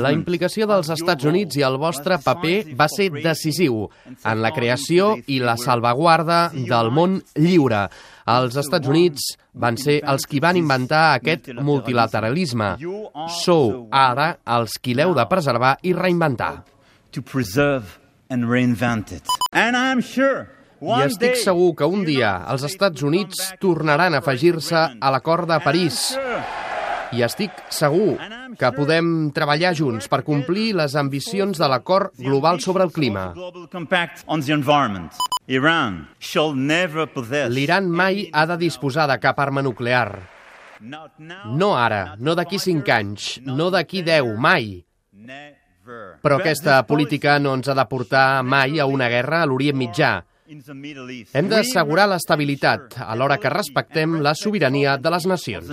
La implicació dels Estats Units i el vostre paper va ser decisiu en la creació i la salvaguarda del món lliure. Els Estats Units van ser els qui van inventar aquest multilateralisme. Sou ara els qui l'heu de preservar i reinventar. I estic segur que un dia els Estats Units tornaran a afegir-se a l'acord de París. I estic segur que podem treballar junts per complir les ambicions de l'acord global sobre el clima. L'Iran mai ha de disposar de cap arma nuclear. No ara, no d'aquí 5 anys, no d'aquí 10, mai. Però aquesta política no ens ha de portar mai a una guerra a l'Orient Mitjà. Hem d'assegurar l'estabilitat, alhora que respectem la sobirania de les nacions.